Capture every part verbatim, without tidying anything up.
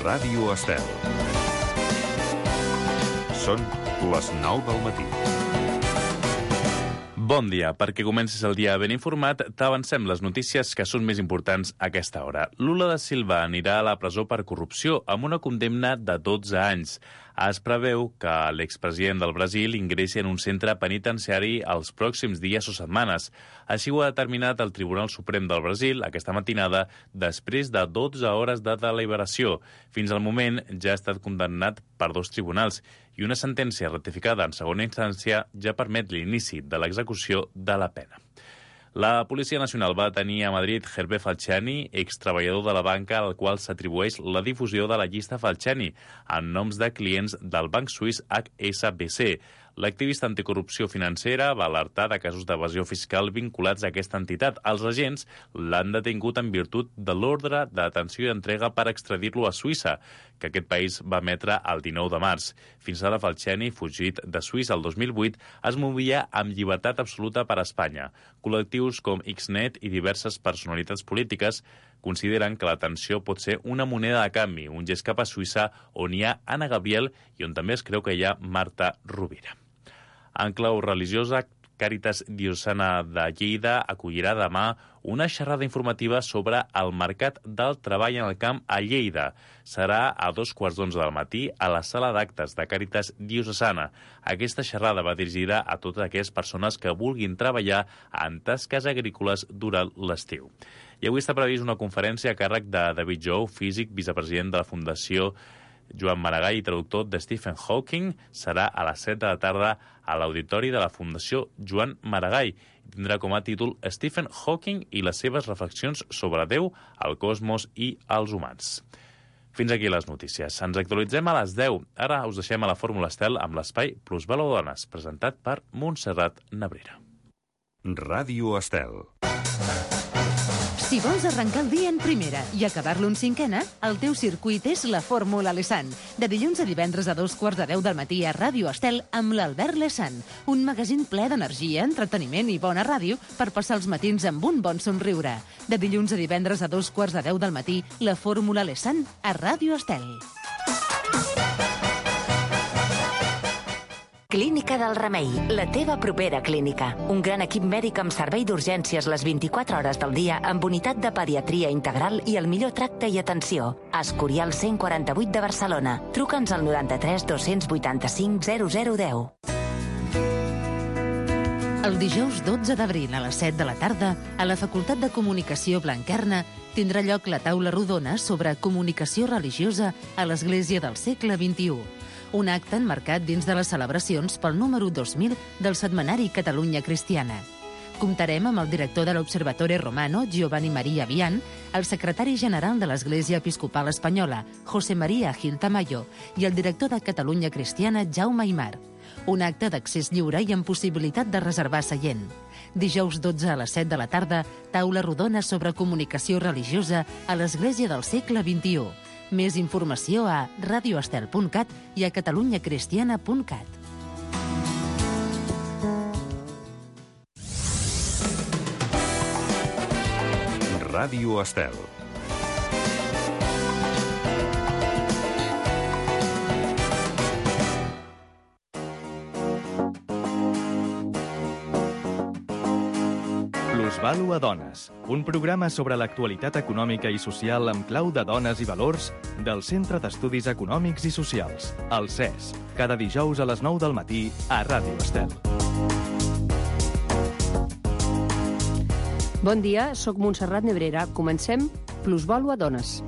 Ràdio Estel. Són les nou del matí. Bon dia. Perquè comencis el dia ben informat, t'avancem les notícies que són més importants a aquesta hora. Lula da Silva anirà a la presó per corrupció amb una condemna de dotze anys. Es preveu que l'expresident del Brasil ingressi en un centre penitenciari els pròxims dies o setmanes. Així ho ha determinat el Tribunal Suprem del Brasil aquesta matinada després de dotze hores de deliberació. Fins al moment ja ha estat condemnat per dos tribunals i una sentència ratificada en segona instància ja permet l'inici de l'execució de la pena. La Policia Nacional va detenir a Madrid Hervé Falciani, extreballador de la banca al qual s'atribueix la difusió de la llista Falciani en noms de clients del banc suís H S B C. L'activista anticorrupció financera va alertar de casos d'evasió fiscal vinculats a aquesta entitat. Els agents l'han detingut en virtut de l'ordre de detenció i entrega per extradir-lo a Suïssa, que aquest país va emetre el dinou de març. Fins ara, Falciani, fugit de Suïssa el dos mil vuit, es movia amb llibertat absoluta per a Espanya. Col·lectius com Xnet i diverses personalitats polítiques consideren que la detenció pot ser una moneda de canvi, un gest cap a Suïssa on hi ha Anna Gabriel i on també es creu que hi ha Marta Rovira. En clau religiosa, Càritas Diocesana de Lleida acollirà demà una xerrada informativa sobre el mercat del treball en el camp a Lleida. Serà a dos quarts d'onze del matí a la sala d'actes de Càritas Diocesana. Aquesta xerrada va dirigida a totes aquelles persones que vulguin treballar en tasques agrícoles durant l'estiu. I avui està previst una conferència a càrrec de David Jou, físic, vicepresident de la Fundació Joan Maragall i traductor de Stephen Hawking. Serà a les set de la tarda a l'auditori de la Fundació Joan Maragall. Tindrà com a títol Stephen Hawking i les seves reflexions sobre Déu, el cosmos i els humans. Fins aquí les notícies. Ens actualitzem a les deu. Ara us deixem a la Fórmula Estel amb l'espai Plusvalor Dones, presentat per Montserrat Nebrera. Ràdio Estel. Si vols arrencar el dia en primera i acabar-lo en cinquena, el teu circuit és la Fórmula Lesan. De dilluns a divendres a dos quarts de deu del matí a Ràdio Estel amb l'Albert Lesan. Un magazín ple d'energia, entreteniment i bona ràdio per passar els matins amb un bon somriure. De dilluns a divendres a dos quarts de deu del matí, la Fórmula Lesan a Ràdio Estel. Clínica del Remei, la teva propera clínica. Un gran equip mèdic amb servei d'urgències les vint-i-quatre hores del dia amb unitat de pediatria integral i el millor tracte i atenció. Escorial cent quaranta-vuit de Barcelona. Truca'ns al noranta-tres dos-cents vuitanta-cinc zero zero deu. El dijous dotze d'abril a les set de la tarda, a la Facultat de Comunicació Blanquerna, tindrà lloc la taula rodona sobre comunicació religiosa a l'Església del segle vint-i-u. Un acte enmarcat dins de les celebracions pel número dos mil del setmanari Catalunya Cristiana. Comptarem amb el director de l'Observatore Romano, Giovanni Maria Vian, el secretari general de l'Església Episcopal Espanyola, José María Gil Tamayo, i el director de Catalunya Cristiana, Jaume Aymar. Un acte d'accés lliure i amb possibilitat de reservar seient. Dijous dotze a les set de la tarda, taula rodona sobre comunicació religiosa a l'Església del segle vint-i-u. Més informació a radioestel punt cat i a catalunyacristiana punt cat. Ràdio Estel. Plusvalor a Dones, un programa sobre l'actualitat econòmica i social amb clau de dones i valors del Centre d'Estudis Econòmics i Socials, el C E S, cada dijous a les nou del matí a Ràdio Estel. Bon dia, sóc Montserrat Nebrera. Comencem Plusvalor a Dones.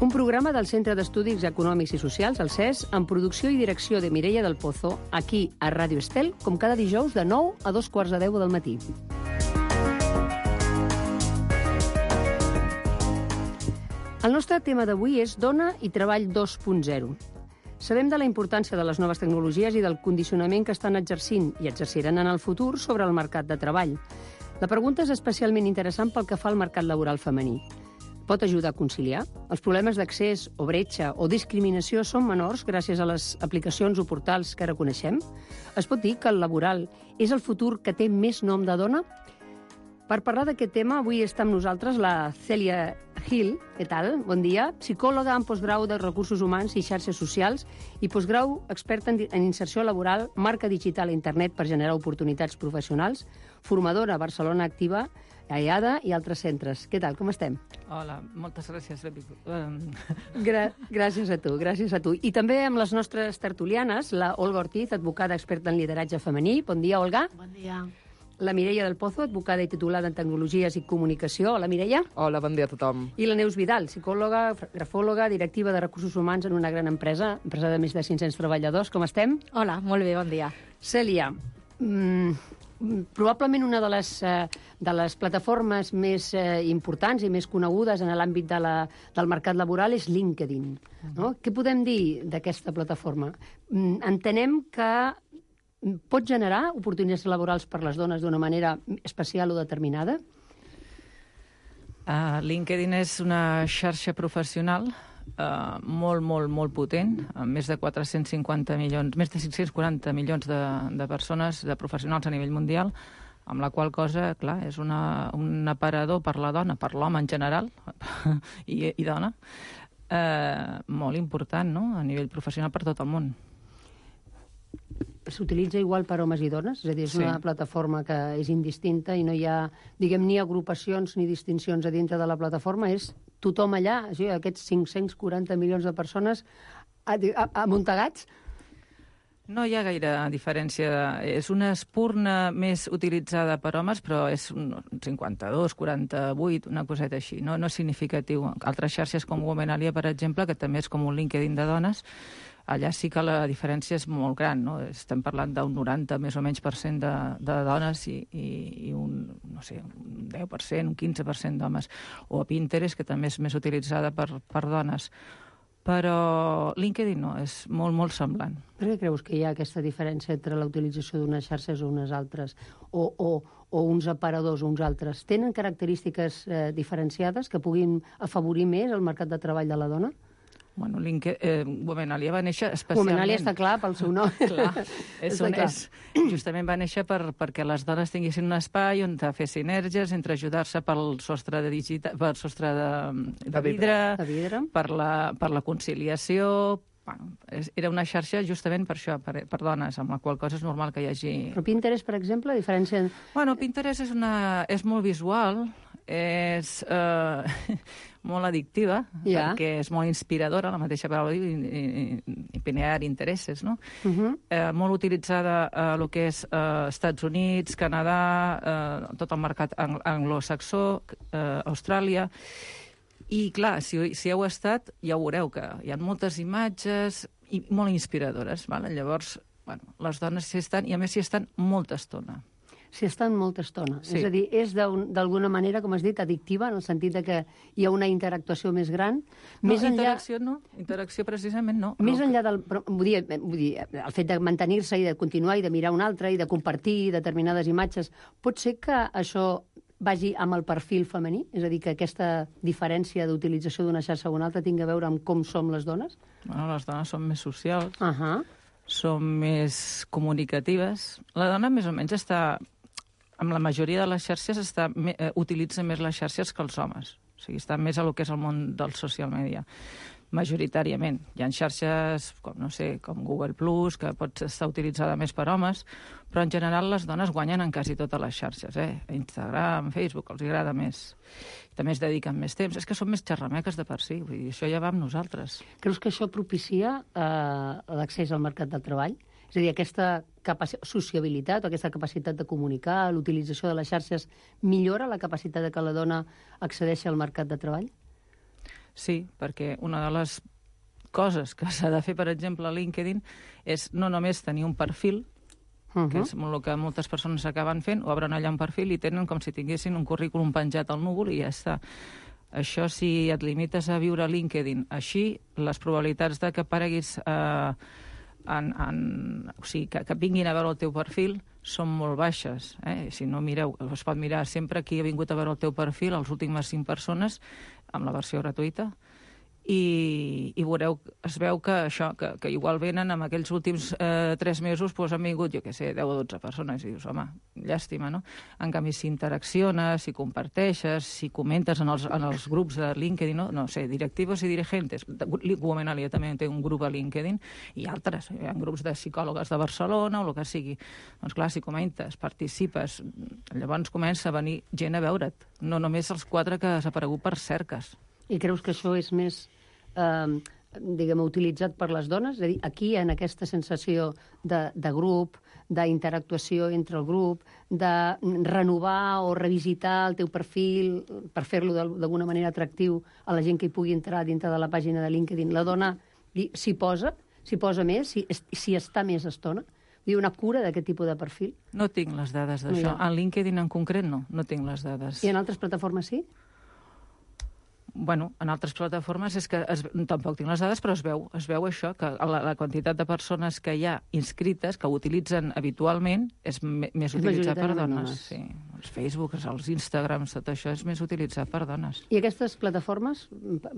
Un programa del Centre d'Estudis Econòmics i Socials, el C E S, amb producció i direcció de Mireia del Pozo, aquí a Ràdio Estel, com cada dijous de nou a dos quarts de deu del matí. El nostre tema d'avui és Dona i Treball dos punt zero. Sabem de la importància de les noves tecnologies i del condicionament que estan exercint i exerciran en el futur sobre el mercat de treball. La pregunta és especialment interessant pel que fa al mercat laboral femení. Pot ajudar a conciliar? Els problemes d'accés o bretxa o discriminació són menors gràcies a les aplicacions o portals que ara coneixem? Es pot dir que el laboral és el futur que té més nom de dona? Per parlar d'aquest tema, avui està amb nosaltres la Cèlia Hill, què tal? Bon dia. Psicòloga en postgrau de Recursos Humans i Xarxes Socials i postgrau experta en, en inserció laboral, marca digital a internet per generar oportunitats professionals, formadora a Barcelona Activa, a I A D A i altres centres. Què tal? Com estem? Hola, moltes gràcies. Um... Gra gràcies a tu, gràcies a tu. I també amb les nostres tertulianes, la Olga Ortiz, advocada experta en lideratge femení. Bon dia, Olga. Bon dia. La Mireia del Pozo, advocada i titulada en Tecnologies i Comunicació. Hola, Mireia. Hola, bon dia a tothom. I la Neus Vidal, psicòloga, grafòloga, directiva de Recursos Humans en una gran empresa, empresa de més de cinc-cents treballadors. Com estem? Hola, molt bé, bon dia. Cèlia, mm, probablement una de les, eh, de les plataformes més eh, importants i més conegudes en l'àmbit de la, del mercat laboral és LinkedIn. No? Què podem dir d'aquesta plataforma? Mm, entenem que pot generar oportunitats laborals per les dones d'una manera especial o determinada? Uh, LinkedIn és una xarxa professional uh, molt, molt, molt potent, amb més de quatre-cents cinquanta milions, més de cinc-cents quaranta milions de, de persones, de professionals a nivell mundial, amb la qual cosa, clar, és una, un aparador per la dona, per l'home en general, i, i dona, uh, molt important, no?, a nivell professional per tot el món. S'utilitza igual per homes i dones? És a dir, és sí. Una plataforma que és indistinta i no hi ha, diguem, ni agrupacions ni distincions a dintre de la plataforma, és tothom allà, o sigui, aquests cinc-cents quaranta milions de persones amuntegats? No hi ha gaire diferència. És una espurna més utilitzada per homes, però és un cinquanta-dos, quaranta-vuit, una coseta així. No, no és significatiu. Altres xarxes com Womenalia, per exemple, que també és com un LinkedIn de dones, allà sí que la diferència és molt gran, no? Estem parlant d'un noranta, més o menys, per cent de, de dones i, i, i un, no sé, un deu per cent, un quinze per cent d'homes. O a Pinterest, que també és més utilitzada per, per dones. Però LinkedIn no, és molt, molt semblant. Per què creus que hi ha aquesta diferència entre la utilització d'unes xarxes o unes altres? O, o, o uns aparadors o uns altres? Tenen característiques eh, diferenciades que puguin afavorir més el mercat de treball de la dona? Bueno, eh, Womenalia va néixer especialment... Womenalia està clar pel seu nom. Clar, és un, és, justament va néixer per, perquè les dones tinguessin un espai on fer sinergies entre ajudar-se pel sostre de, digita, pel sostre de, de, de, vidre, de vidre, per la, per la conciliació... Bueno, era una xarxa justament per això, per, per dones, amb la qual cosa és normal que hi hagi... Però Pinterest, per exemple, a diferència... Bueno, Pinterest és, una, és molt visual, és eh, molt addictiva, yeah. perquè és molt inspiradora, la mateixa paraula diu, i, i, i pinear interessos, no? Uh -huh. eh, molt utilitzada a eh, el que és eh, Estats Units, Canadà, eh, tot el mercat ang anglosaxó, eh, Austràlia... I, clar, si, si heu estat, ja ho veureu, que hi ha moltes imatges i molt inspiradores. Vale? Llavors, bueno, les dones s'hi estan, i a més s'hi estan molta estona. S'hi estan molta estona. Sí. És a dir, és d'alguna manera, com has dit, addictiva, en el sentit de que hi ha una interactuació més gran. No, més interacció enllà... no. Interacció precisament no. Més no. enllà del... Vull dir, vull dir, el fet de mantenir-se i de continuar i de mirar un altre i de compartir determinades imatges, pot ser que això vagi amb el perfil femení? És a dir, que aquesta diferència d'utilització d'una xarxa o una altra tingui a veure amb com som les dones? Bueno, les dones són més socials, uh -huh. són més comunicatives. La dona més o menys està... Amb la majoria de les xarxes està, eh, utilitza més les xarxes que els homes. O sigui, està més a lo que és el món del social media. Majoritàriament. Hi ha xarxes, com, no sé, com Google Plus, que pot estar utilitzada més per homes, però en general les dones guanyen en quasi totes les xarxes, eh? Instagram, Facebook, els agrada més. També es dediquen més temps. És que són més xerrameques de per si, vull dir, això ja va amb nosaltres. Creus que això propicia eh, l'accés al mercat del treball? És a dir, aquesta sociabilitat o aquesta capacitat de comunicar, l'utilització de les xarxes, millora la capacitat de que la dona accedeixi al mercat de treball? Sí, perquè una de les coses que s'ha de fer, per exemple, a LinkedIn, és no només tenir un perfil, uh-huh. que és el que moltes persones acaben fent, obren allà un perfil i tenen com si tinguessin un currículum penjat al núvol i ja està. Això, si et limites a viure a LinkedIn així, les probabilitats de que apareguis... Eh, En, en, o sigui, que, que vinguin a veure el teu perfil són molt baixes. Eh? Si no mireu, es pot mirar sempre qui ha vingut a veure el teu perfil, les últimes cinc persones, amb la versió gratuïta, i, i veureu, es veu que això, que, que igual venen en aquells últims eh, tres mesos, doncs han vingut, jo què sé, deu o dotze persones, i dius, home, llàstima, no? En canvi, si interacciones, si comparteixes, si comentes en els, en els grups de LinkedIn, no, no sé, directivos i dirigentes, Womenalia també té un grup a LinkedIn, i altres, hi ha grups de psicòlogues de Barcelona, o el que sigui. Doncs clar, si comentes, participes, llavors comença a venir gent a veure't, no només els quatre que has aparegut per cerques. I creus que això és més eh, diguem, utilitzat per les dones? És a dir, aquí, en aquesta sensació de, de grup, d'interactuació entre el grup, de renovar o revisitar el teu perfil per fer-lo d'alguna manera atractiu a la gent que hi pugui entrar dintre de la pàgina de LinkedIn, la dona s'hi posa, s'hi posa més, s'hi si està més estona? Hi ha una cura d'aquest tipus de perfil? No tinc les dades d'això. No, en LinkedIn en concret no, no tinc les dades. I en altres plataformes sí? Bueno, en altres plataformes és que es, tampoc tinc les dades, però es veu, es veu això, que la, la quantitat de persones que hi ha inscrites, que ho utilitzen habitualment, és me, més utilitzat per dones. Sí. Els Facebook, els Instagrams, tot això és més utilitzat per dones. I aquestes plataformes,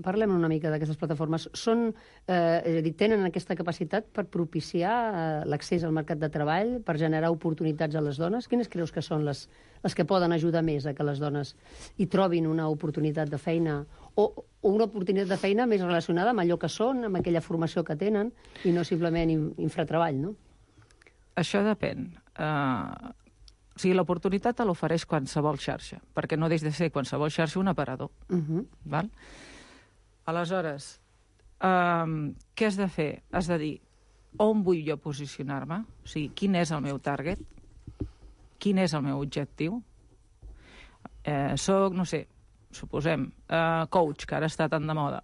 parlem una mica d'aquestes plataformes, són, eh, és a dir, tenen aquesta capacitat per propiciar eh, l'accés al mercat de treball, per generar oportunitats a les dones? Quines creus que són les, les que poden ajudar més a que les dones hi trobin una oportunitat de feina o, o una oportunitat de feina més relacionada amb allò que són, amb aquella formació que tenen, i no simplement infratreball, no? Això depèn. Uh, o sigui, l'oportunitat te l'ofereix qualsevol xarxa, perquè no deix de ser qualsevol xarxa un aparador. Uh -huh. Val? Aleshores, um, què has de fer? Has de dir on vull jo posicionar-me, o sigui, quin és el meu target, quin és el meu objectiu. Eh, soc, no sé, suposem, uh, coach, que ara està tan de moda.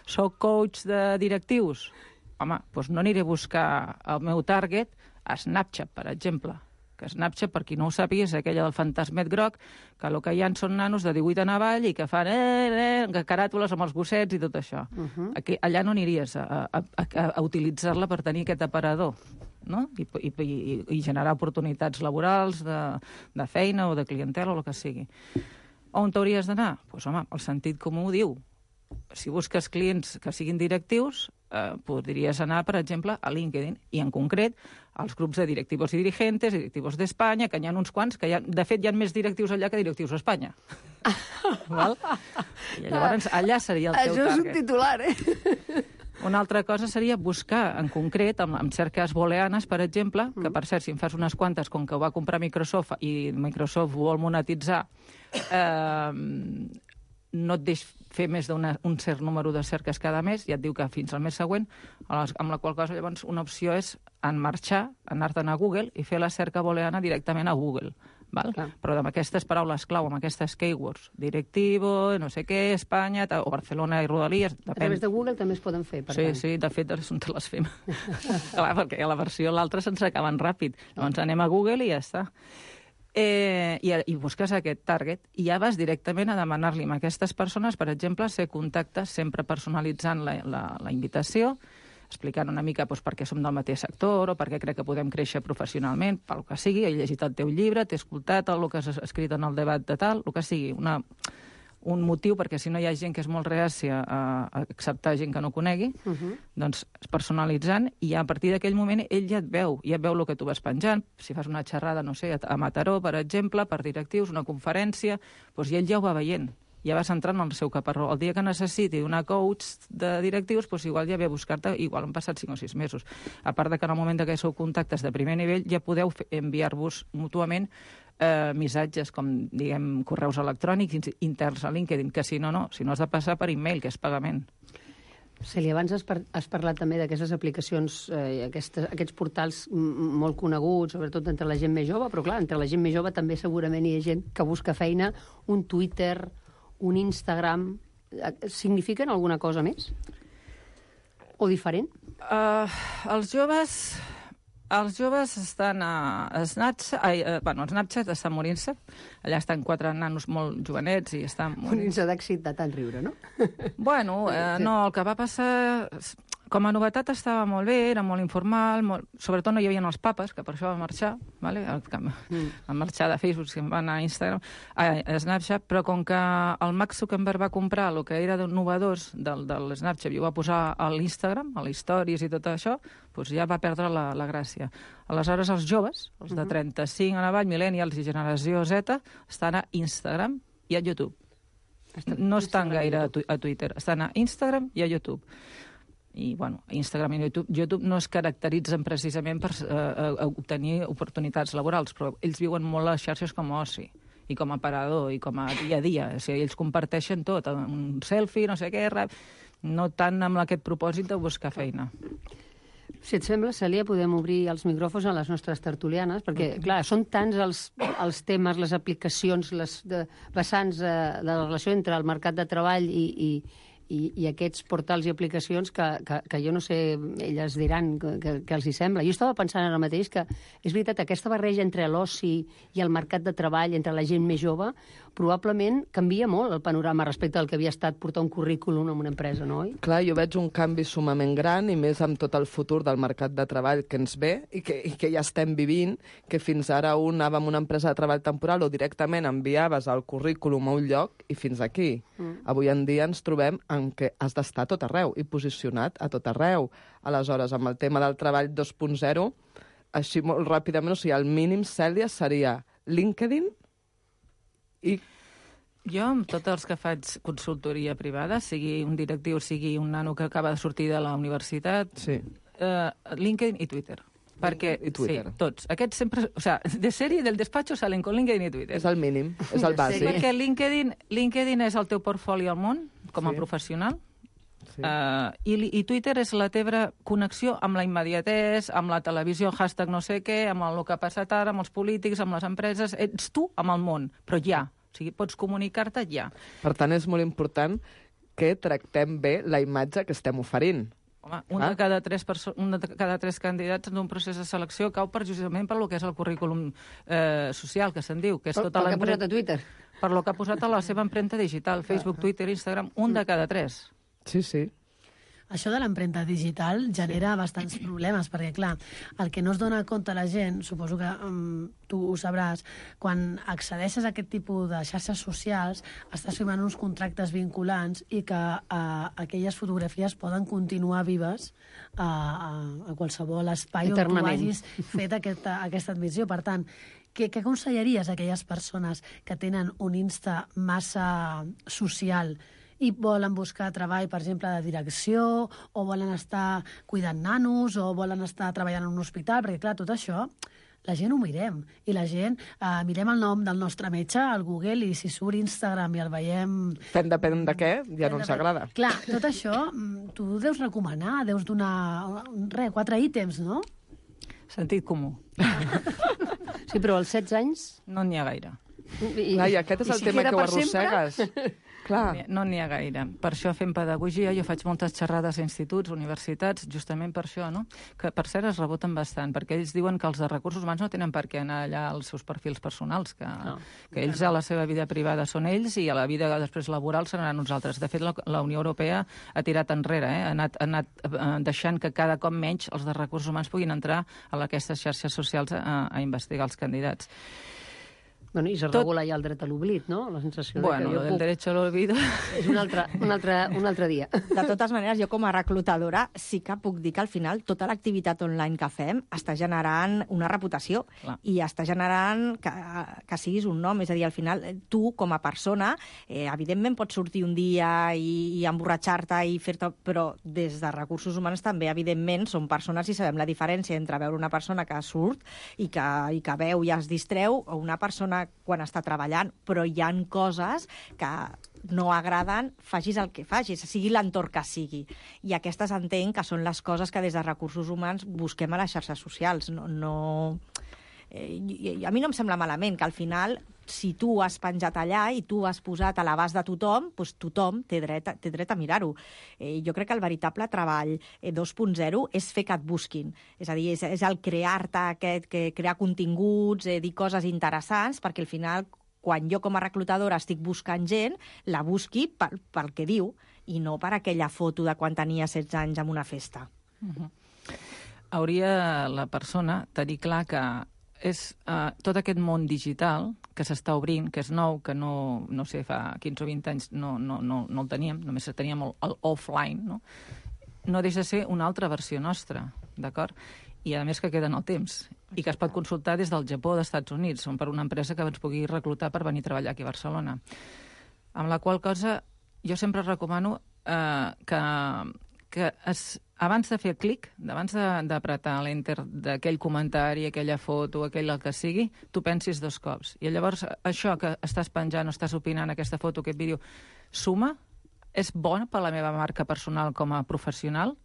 Soc coach de directius? Home, doncs no aniré a buscar el meu target a Snapchat, per exemple. Que Snapchat, per qui no ho sàpiga, és aquella del fantasmet groc, que el que hi ha són nanos de divuit en avall i que fan eh, eh, caràtules amb els gossets i tot això. Uh -huh. Aquí, allà no aniries a, a, a, a utilitzar-la per tenir aquest aparador, no? I, i, i, i generar oportunitats laborals, de, de feina o de clientela o el que sigui. On t'hauries d'anar? Doncs, pues, home, el sentit comú ho diu. Si busques clients que siguin directius, eh, podries anar, per exemple, a LinkedIn, i en concret als grups de directivos i dirigentes, directivos d'Espanya, que n'hi ha uns quants, que hi ha, de fet hi ha més directius allà que directius a Espanya. Val? I llavors allà seria el teu target. Això és un titular, eh? Una altra cosa seria buscar, en concret, amb, amb cerques booleanes, per exemple, que per cert, si en fas unes quantes, com que ho va comprar Microsoft i Microsoft ho vol monetitzar, eh, no et deix fer més d'un cert número de cerques cada mes, ja et diu que fins al mes següent, amb la qual cosa llavors una opció és enmarxar, anar-te'n a Google i fer la cerca booleana directament a Google. Val? Però amb aquestes paraules clau, amb aquestes keywords, directivo, no sé què, Espanya, o Barcelona i Rodalies... Depèn. A través de Google també es poden fer, per sí, tant. Sí, de fet, on te les fem. Clar, perquè a la versió l'altra se'ns acaben ràpid. Llavors anem a Google i ja està. Eh, i, i busques aquest target i ja vas directament a demanar-li a aquestes persones, per exemple, ser contactes, sempre personalitzant la, la, la invitació, explicant una mica doncs, per què som del mateix sector o per què crec que podem créixer professionalment, pel que sigui, he llegit el teu llibre, t'he escoltat el que has escrit en el debat de tal, el que sigui, una, un motiu, perquè si no hi ha gent que és molt reàcia a, a acceptar gent que no conegui, uh -huh. doncs personalitzant, i a partir d'aquell moment ell ja et veu, ja et veu el que tu vas penjant, si fas una xerrada, no sé, a Mataró, per exemple, per directius, una conferència, doncs ell ja ho va veient. Ja vas entrant en el seu caparró. El dia que necessiti una coach de directius, doncs igual ja ve a buscar-te, igual han passat cinc o sis mesos. A part de que en el moment que sou contactes de primer nivell ja podeu enviar-vos mútuament eh, missatges, com, diguem, correus electrònics interns a LinkedIn, que si no, no, si no has de passar per e-mail, que és pagament. Cèlia, abans has, par has parlat també d'aquestes aplicacions, eh, aquestes, aquests portals molt coneguts, sobretot entre la gent més jove, però clar, entre la gent més jove també segurament hi ha gent que busca feina, un Twitter, un Instagram, signifiquen alguna cosa més? O diferent? Uh, els joves... Els joves estan a Snapchat... Ai, uh, bueno, el Snapchat està morint-se. Allà estan quatre nanos molt jovenets i estan... Morint-se d'èxit de tant riure, no? Bueno, eh, no, el que va passar... Com a novetat estava molt bé, era molt informal, molt... sobretot no hi havia els papes, que per això va marxar, vale? El, que mm. van marxar de Facebook, que van a Instagram, a, a Snapchat, però com que el Mark Zuckerberg va comprar el que era innovadors del, del Snapchat i ho va posar a l'Instagram, a les stories i tot això, doncs ja va perdre la, la gràcia. Aleshores, els joves, els de trenta-cinc en avall, millennials i generació Z, estan a Instagram i a YouTube. No estan gaire a, tu a Twitter, estan a Instagram i a YouTube. I, bueno, Instagram i YouTube, YouTube no es caracteritzen precisament per eh, obtenir oportunitats laborals, però ells viuen molt les xarxes com a oci, i com a parador, i com a dia a dia. O sigui, ells comparteixen tot, un selfie, no sé què, no tant amb aquest propòsit de buscar feina. Si et sembla, Cèlia, podem obrir els micròfons a les nostres tertulianes, perquè, clar, són tants els, els temes, les aplicacions, les de, vessants eh, de la relació entre el mercat de treball i, i, i, i aquests portals i aplicacions que, que, que jo no sé, elles diran que, que, que els hi sembla. Jo estava pensant ara mateix que, és veritat, aquesta barreja entre l'oci i el mercat de treball, entre la gent més jove, probablement canvia molt el panorama respecte al que havia estat portar un currículum en una empresa, no? Clar, jo veig un canvi sumament gran, i més amb tot el futur del mercat de treball que ens ve i que, i que ja estem vivint, que fins ara un anava a una empresa de treball temporal o directament enviaves el currículum a un lloc i fins aquí. Mm. Avui en dia ens trobem en què has d'estar a tot arreu i posicionat a tot arreu. Aleshores, amb el tema del treball dos punt zero, així molt ràpidament, o sigui, el mínim, Cèlia, seria LinkedIn i... Jo, amb tots els que faig consultoria privada, sigui un directiu, sigui un nano que acaba de sortir de la universitat, sí. eh, LinkedIn i Twitter. Perquè, i Twitter. Sí, tots. Aquests sempre... O sea, de sèrie del despacho salen con LinkedIn i Twitter. És el mínim, és el bàsic. Sí, perquè LinkedIn, LinkedIn és el teu portfoli al món, com a sí. professional, sí. uh, i, i Twitter és la teva connexió amb la immediatesa, amb la televisió, hashtag no sé què, amb el que ha passat ara, amb els polítics, amb les empreses... Ets tu amb el món, però ja. O sigui, pots comunicar-te ja. Per tant, és molt important que tractem bé la imatge que estem oferint. Home, un, ah. de cada tres un de cada tres candidats d'un procés de selecció cau precisament per lo que és el currículum eh, social, que se'n diu, que és per, tota per que ha posat a Twitter. Per lo que ha posat a la seva empremta digital, Facebook, Twitter, Instagram, un de cada tres. Sí, sí. Això de l'empremta digital genera sí. bastants problemes, perquè, clar, el que no es dona compte la gent, suposo que um, tu ho sabràs, quan accedeixes a aquest tipus de xarxes socials, estàs firmant uns contractes vinculants i que uh, aquelles fotografies poden continuar vives uh, a, a qualsevol espai on tu hagis fet aquesta, aquesta admissió. Per tant, què, què aconsellaries a aquelles persones que tenen un Insta massa social i volen buscar treball, per exemple, de direcció, o volen estar cuidant nanos, o volen estar treballant en un hospital, perquè, clar, tot això, la gent ho mirem. I la gent, eh, mirem el nom del nostre metge al Google, i si surt Instagram i el veiem... Fent depèn de què, ja no ens agrada. Clar, tot això, tu deus recomanar, deus donar, res, quatre ítems, no? Sentit comú. Sí, però als setze anys... No n'hi ha gaire. I, Clar, i aquest és el si tema que ho arrossegues. Clar. No n'hi ha gaire. Per això fem pedagogia, jo faig moltes xerrades a instituts, universitats, justament per això, no? Que, per cert, es reboten bastant, perquè ells diuen que els de recursos humans no tenen per què anar allà als seus perfils personals, que, no. que ells a la seva vida privada són ells i a la vida després laboral seran nosaltres. De fet, la, la Unió Europea ha tirat enrere, eh? ha anat, ha anat eh, deixant que cada cop menys els de recursos humans puguin entrar a aquestes xarxes socials a, a investigar els candidats. Bueno, i se Tot... regula ja el dret a l'oblit, no? La sensació bueno, de que jo el puc... derecho al olvido... És un altre, un, altre, un altre dia. De totes maneres, jo com a reclutadora sí que puc dir que al final tota l'activitat online que fem està generant una reputació. Clar. I està generant que, que siguis un nom. És a dir, al final, tu com a persona, eh, evidentment pots sortir un dia i, i emborratxar-te i fer-te... Però des de recursos humans també, evidentment, som persones i sabem la diferència entre veure una persona que surt i que, i que veu i es distreu o una persona quan està treballant, però hi ha coses que no agraden, facis el que facis, sigui l'entorn que sigui. I aquestes entenc que són les coses que des de recursos humans busquem a les xarxes socials. No, no... Eh, a mi no em sembla malament que al final, si tu has penjat allà i tu has posat a l'abast de tothom, doncs tothom té dret, té dret a mirar-ho. Eh, jo crec que el veritable treball eh, dos punt zero és fer que et busquin. És a dir, és, és el crear-te aquest, que crear continguts, eh, dir coses interessants, perquè al final, quan jo com a reclutadora estic buscant gent, la busqui pel, pel que diu. i no per aquella foto de quan tenia setze anys en una festa. Uh-huh. Hauria la persona tenir clar que és uh, tot aquest món digital que s'està obrint, que és nou, que no, no sé, fa quinze o vint anys no, no, no, no el teníem, només teníem el, el offline, no? No deixa de ser una altra versió nostra, d'acord? I a més que queda en el temps, i que es pot consultar des del Japó o dels Estats Units, o per una empresa que ens pugui reclutar per venir a treballar aquí a Barcelona. Amb la qual cosa jo sempre recomano eh, que, que es, abans de fer el clic, abans d'apretar l'enter d'aquell comentari, aquella foto, aquell el que sigui, tu pensis dos cops. I llavors això que estàs penjant o estàs opinant, aquesta foto, aquest vídeo, suma? És bona per la meva marca personal com a professional?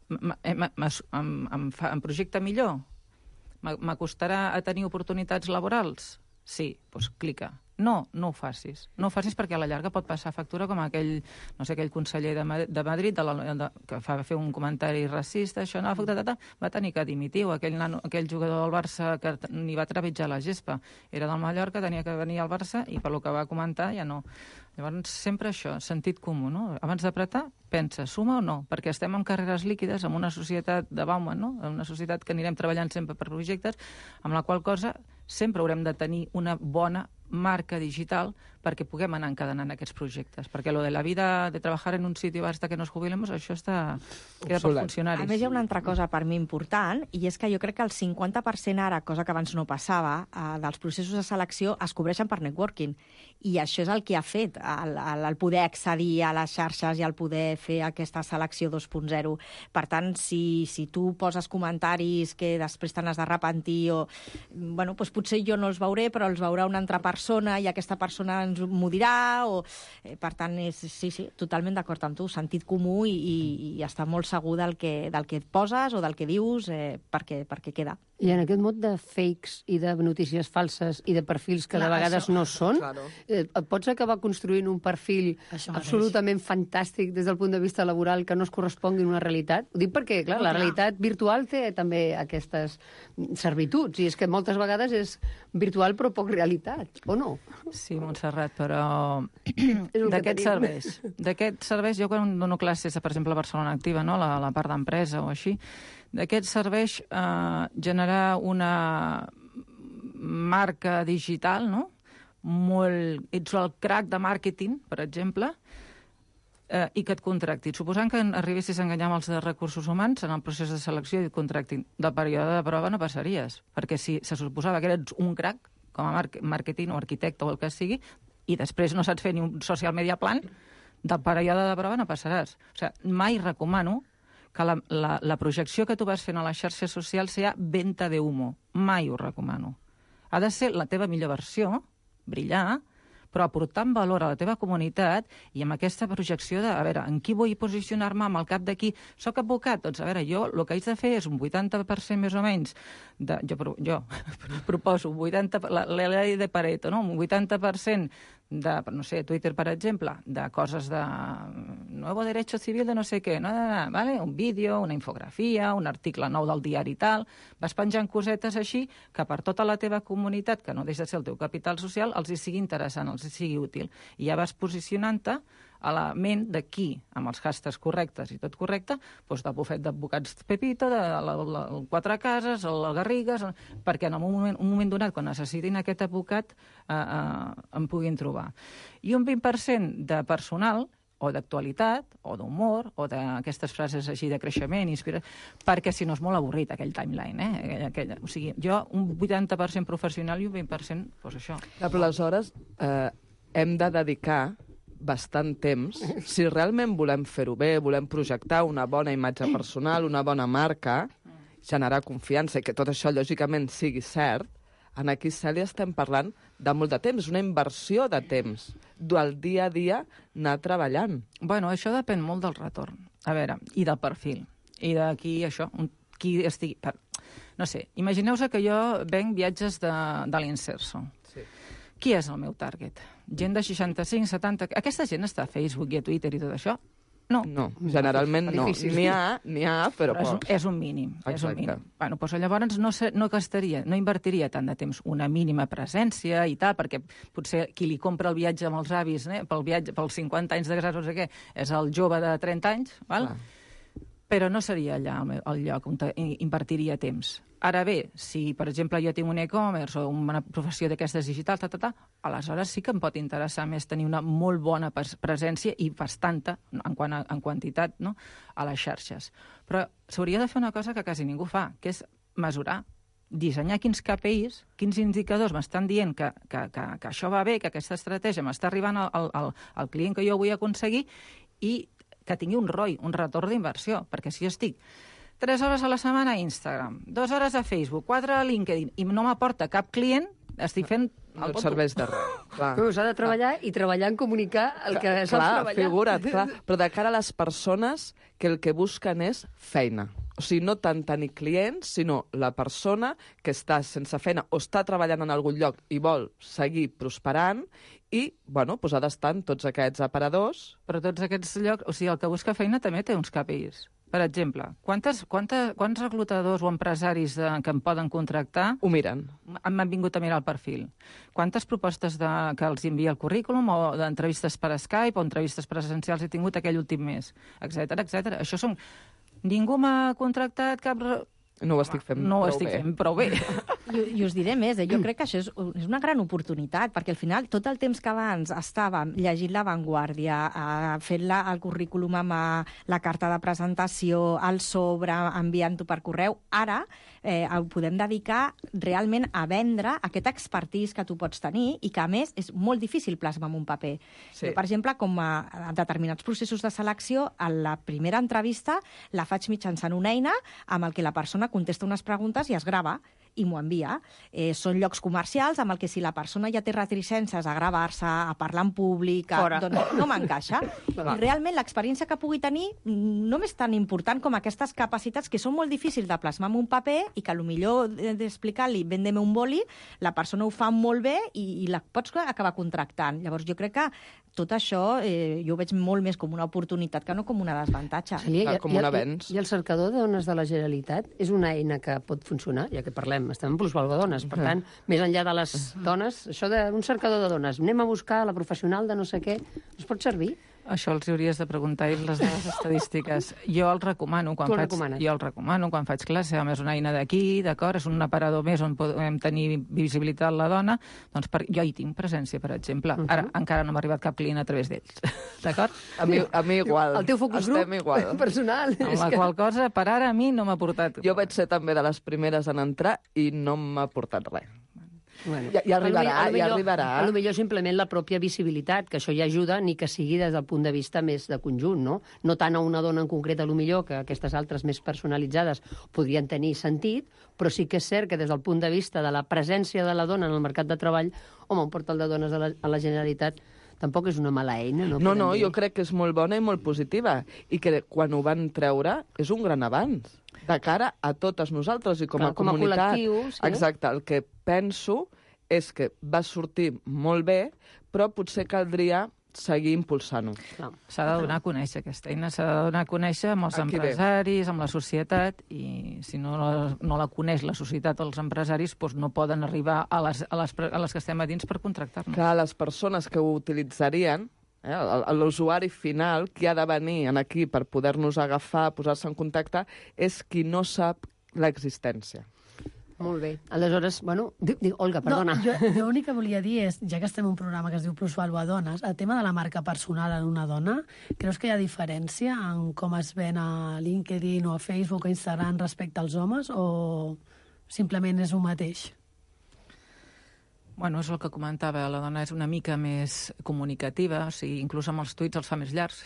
Em, em, em, fa, em projecta millor? M'acostarà a tenir oportunitats laborals? Sí, doncs clica. No, no ho facis. No ho facis perquè a la llarga pot passar factura com aquell, no sé, aquell conseller de, Ma de Madrid de la, de, que fa fer un comentari racista, això no, va tenir que dimitir, o aquell, nano, aquell jugador del Barça que ni va trepitjar la gespa. Era del Mallorca, tenia que venir al Barça i per lo que va comentar ja no. Llavors, sempre això, sentit comú, no? Abans d'apretar, pensa, suma o no? Perquè estem en carreres líquides, en una societat de Bauman, no? En una societat que anirem treballant sempre per projectes, amb la qual cosa sempre haurem de tenir una bona marca digital perquè puguem anar encadenant aquests projectes. Perquè lo de la vida de treballar en un sitio hasta que nos jubilemos, això està... queda per funcionaris. A més, hi ha una altra cosa per mi important, i és que jo crec que el cinquanta per cent ara, cosa que abans no passava, eh, dels processos de selecció es cobreixen per networking. I això és el que ha fet el, el, el poder accedir a les xarxes i el poder fer aquesta selecció dos punt zero. Per tant, si, si tu poses comentaris que després te n'has d'arrepentir, o, bueno, doncs potser jo no els veuré, però els veurà una altra persona i aquesta persona ens m'ho dirà, o, eh, per tant, és, sí, sí, totalment d'acord amb tu, sentit comú i, i, i estar molt segur del que, del que et poses o del que dius eh, perquè, perquè queda. I en aquest mot de fakes i de notícies falses i de perfils que Clar, de vegades això, no són, claro. eh, et pots acabar construint un perfil absolutament fantàstic des del punt de vista laboral que no es correspongui a una realitat? Ho dic perquè, clar, la realitat virtual té també aquestes servituds, i és que moltes vegades és virtual però poc realitat, o no? Sí, Montserrat, però d'aquests serveis, d'aquests serveis, jo quan dono classes, per exemple, a Barcelona Activa, no? la, la part d'empresa o així, d'aquests serveis eh, generar una marca digital, no? Molt... Ets el crack de màrqueting, per exemple, eh, i que et contractin. Suposant que arribessis a enganyar amb els de recursos humans en el procés de selecció i et contractin. Del període de prova no passaries, perquè si se suposava que eres un crack, com a màrqueting o arquitecte o el que sigui, i després no saps fer ni un social media plan, del període de prova no passaràs. O sigui, mai recomano que la, la, la projecció que tu vas fent a les xarxes socials sigui venta de humo. Mai ho recomano. Ha de ser la teva millor versió, brillar, però aportant valor a la teva comunitat i amb aquesta projecció de, a veure, en qui vull posicionar-me, amb el cap d'aquí. Soc advocat? Doncs, a veure, jo el que haig de fer és un vuitanta per cent més o menys, de, jo, jo proposo un vuitanta, la, la llei de Pareto, no? Un vuitanta per cent de, no sé, Twitter, per exemple, de coses de nuevo derecho civil de no sé què, no, no, no, vale? Un vídeo, una infografia, un article nou del diari i tal, vas penjant cosetes així que per tota la teva comunitat, que no deixa de ser el teu capital social, els hi sigui interessant, els hi sigui útil. I ja vas posicionant-te a la ment de qui, amb els hashtags correctes i tot correcte, doncs del bufet d'advocats Pepito, de la, la, el Quatre Cases, el Garrigues, perquè en un moment, un moment donat, quan necessitin aquest advocat, eh, eh, em puguin trobar. I un vint per cent de personal, o d'actualitat, o d'humor, o d'aquestes frases així de creixement, inspiració, perquè si no és molt avorrit aquell timeline, eh? Aquell, aquell, o sigui, jo un vuitanta per cent professional i un vint per cent, doncs això. Clar, però aleshores eh, hem de dedicar bastant temps, si realment volem fer-ho bé, volem projectar una bona imatge personal, una bona marca, generar confiança i que tot això, lògicament, sigui cert, en aquí, Cèlia, estem parlant de molt de temps, una inversió de temps, del dia a dia anar treballant. Bueno, això depèn molt del retorn, a veure, i del perfil, i d'aquí això, un, qui estigui... Per... No sé, imagineu-vos que jo venc viatges de, de l'Inserso. Sí. Qui és el meu target? Gent de seixanta-cinc, setanta... Aquesta gent està a Facebook i a Twitter i tot això? No. No, generalment no. N'hi ha, n'hi ha, però, però és, pocs. és un mínim. És un Exacte. mínim. Bueno, doncs llavors no, se, no, gastaria, no invertiria tant de temps una mínima presència i tal, perquè potser qui li compra el viatge amb els avis, eh, pel viatge, pels cinquanta anys de casats, no sé què, és el jove de trenta anys, val? Clar. Però no seria allà el, el lloc on invertiria temps. Ara bé, si, per exemple, jo tinc un e-commerce o una professió d'aquestes digitals, ta, ta, ta, aleshores sí que em pot interessar més tenir una molt bona presència i bastanta, en, quant a, en quantitat, no?, a les xarxes. Però s'hauria de fer una cosa que quasi ningú fa, que és mesurar, dissenyar quins K P Is, quins indicadors m'estan dient que, que, que, que això va bé, que aquesta estratègia m'està arribant al, al, al client que jo vull aconseguir i que tingui un R O I, un retorn d'inversió, perquè si jo estic tres hores a la setmana a Instagram, dues hores a Facebook, quatre a LinkedIn, i no m'aporta cap client, estic fent... No et serveix de res. Clar. Però s'ha de treballar i treballar en comunicar el que saps clar, treballar. Figura't, clar. Però de cara a les persones que el que busquen és feina. O sigui, no tant tenir clients, sinó la persona que està sense feina o està treballant en algun lloc i vol seguir prosperant i, bueno, doncs ha d'estar en tots aquests aparadors. Però tots aquests llocs... O sigui, el que busca feina també té uns K P Is. Per exemple, quantes, quantes, quants reclutadors o empresaris de, que em poden contractar... Ho miren. M'han vingut a mirar el perfil. Quantes propostes de, que els envia el currículum o d'entrevistes per Skype o entrevistes presencials he tingut aquell últim mes, etcètera, etcètera. Això són... Ningú m'ha contractat cap... No ho estic fent no prou ho estic bé. fent prou bé. I, I us diré més, eh? Jo crec que això és, és una gran oportunitat, perquè al final tot el temps que abans estàvem llegint La Vanguardia, eh, fent la, el currículum amb eh, la carta de presentació, el sobre, enviant-ho per correu, ara eh, ho podem dedicar realment a vendre aquest expertise que tu pots tenir i que, a més, és molt difícil plasmar en un paper. Sí. Jo, per exemple, com a, a determinats processos de selecció, a la primera entrevista la faig mitjançant una eina amb el que la persona contesta unes preguntes i es grava i m'ho envia. Eh, són llocs comercials amb el que si la persona ja té reticències a gravar-se, a parlar en públic, a, doncs no m'encaixa. I realment l'experiència que pugui tenir no és tan important com aquestes capacitats que són molt difícils de plasmar en un paper i que potser d'explicar-li vendem un boli, la persona ho fa molt bé i, i la pots acabar contractant. Llavors jo crec que tot això eh, jo ho veig molt més com una oportunitat que no com una desavantatge. Sí, Clar, com un avenç. I el cercador de dones de la Generalitat és una eina que pot funcionar, ja que parlem, estem en plusvalua dones, per tant, més enllà de les dones, això d'un cercador de dones, anem a buscar la professional de no sé què, ens pot servir? Això els hauries de preguntar i les dades estadístiques. Jo el recomano quan Tu el faig, recomanes? jo el recomano quan faig classe, a més una eina d'aquí, d'acord, és un aparador més on podem tenir visibilitat la dona, doncs per, jo hi tinc presència, per exemple. Uh -huh. Ara encara no m'ha arribat cap client a través d'ells, d'acord? A mi, a mi igual. El teu focus Estem group igual. personal. Amb la qual cosa, per ara, a mi no m'ha portat... Jo vaig ser també de les primeres en entrar i no m'ha portat res. Bueno, Ja- ja arribarà, a lo millor- ja arribarà. A lo millor simplement la pròpia visibilitat, que això ja ajuda, ni que sigui des del punt de vista més de conjunt, no? No tant a una dona en concret, a lo millor, que aquestes altres més personalitzades podrien tenir sentit, però sí que és cert que des del punt de vista de la presència de la dona en el mercat de treball, home, un portal de dones a la, a la Generalitat tampoc és una mala eina, no? No, no, Podem jo dir. crec que és molt bona i molt positiva. I que quan ho van treure és un gran avanç. De cara a totes nosaltres i com Clar, a com a comunitat. col·lectiu, sí. Exacte, el que penso és que va sortir molt bé, però potser caldria seguir impulsant-ho. Clar. S'ha de donar a conèixer aquesta eina, s'ha de donar a conèixer amb els A qui ve? empresaris, amb la societat, i si no la, no la coneix la societat o els empresaris, doncs no poden arribar a les, a les, a les que estem a dins per contractar-nos. Que les persones que ho utilitzarien, eh, l'usuari final, qui ha de venir en aquí per poder-nos agafar, posar-se en contacte, és qui no sap l'existència. Molt bé. Aleshores, bueno... Dic, dic, Olga, perdona. No, jo, jo l'únic que volia dir és, ja que estem en un programa que es diu Plusvalua Dones, el tema de la marca personal en una dona, creus que hi ha diferència en com es ven a LinkedIn o a Facebook o a Instagram respecte als homes o simplement és el mateix? Bueno, és el que comentava, la dona és una mica més comunicativa, o sigui, inclús amb els tuits els fa més llargs.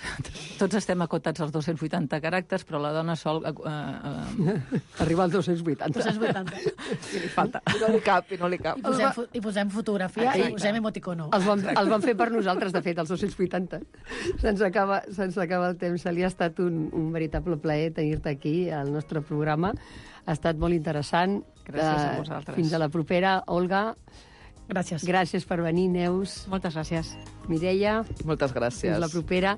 Tots estem acotats als dos-cents vuitanta caràcters, però la dona sol... Eh, eh, Arriba als dos-cents vuitanta. dos-cents vuitanta. sí, li falta. I no li cap, i no li cap. I posem, fo- i posem fotografia Exacte. i posem emoticono. Els van, els van fer per nosaltres, de fet, els dos-cents vuitanta. Se'ns acaba, se'ns acaba el temps. Se li ha estat un, un veritable plaer tenir-te aquí al nostre programa. Ha estat molt interessant. Gràcies a Eh, vosaltres. Fins a la propera, Olga. Gràcies. Gràcies per venir, Neus. Moltes gràcies. Mireia. Moltes gràcies. Fins la propera.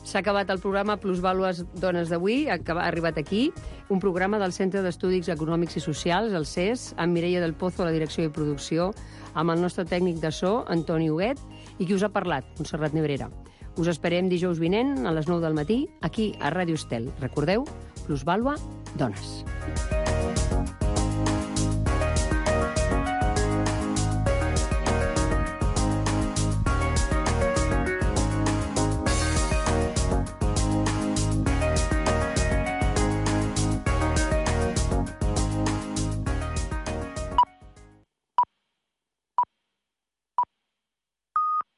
S'ha acabat el programa Plusvàlues Dones d'avui, ha arribat aquí, un programa del Centre d'Estudis Econòmics i Socials, el C E S, amb Mireia del Pozo a la direcció i producció, amb el nostre tècnic de so, Antoni Huguet, i qui us ha parlat, Montserrat Nebrera. Us esperem dijous vinent a les nou del matí, aquí a Ràdio Estel. Recordeu, Plusvàlua Dones.